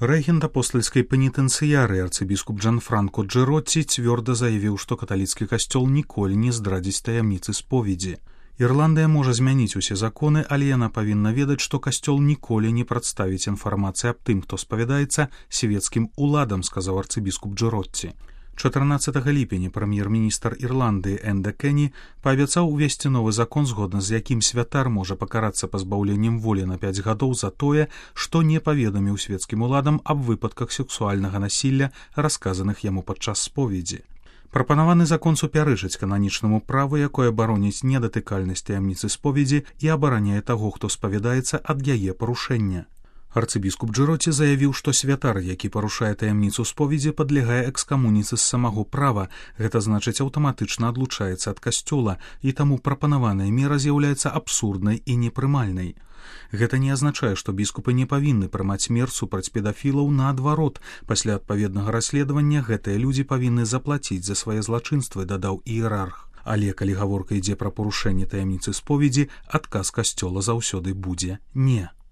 Рэгент апостальскай пенітэнцыярыі арцыбіскуп Джанфранко Джэротці цвёрда заявіў, што каталіцкі касцёл ніколі не здрадзіць таямніцы споведзі. Ірландыя можа змяніць усе законы, але яна павінна ведаць, што касцёл ніколі не прадставіць інфармацыі аб тым, хто спавядаецца свецкім уладам, сказаў арцыбіскуп Джэротці. 14 ліпеня прэм'ер-міністр Ірландыі Энда Кені паабяцаў увесці новы закон, згодна з якім святар можа пакарацца пазбаўленнем волі на 5 гадоў за тое, што не паведаміў свецкім уладам аб выпадках сексуальнага насілля, расказаных яму падчас споведзі. Прапанаваны закон супярэчыць кананічнаму праву, якое бароніць недатыкальнасць таямніцы споведзі і абараняе таго, хто спавядаецца ад яе парушэння. Арцыбіскуп Джэротці заявіў, што святар, які парушае таямніцу споведзі, падлягае экскамуніцы з самого права, гэта значыць аўтаматычна адлучаецца ад касцёла, і таму прапанаваная мера з'яўляецца абсурднай і непрымальнай. Гэта не азначае, што біскупы не павінны прымаць мер супраць педафілаў, наадварот, пасля адпаведнага расследавання гэтыя людзі павінны заплаціць за свае злачынствы, дадаў іерарх. Але калі гаворка ідзе пра парушэнне таямніцы споведзі, адказ касцёла заўсёды будзе «не».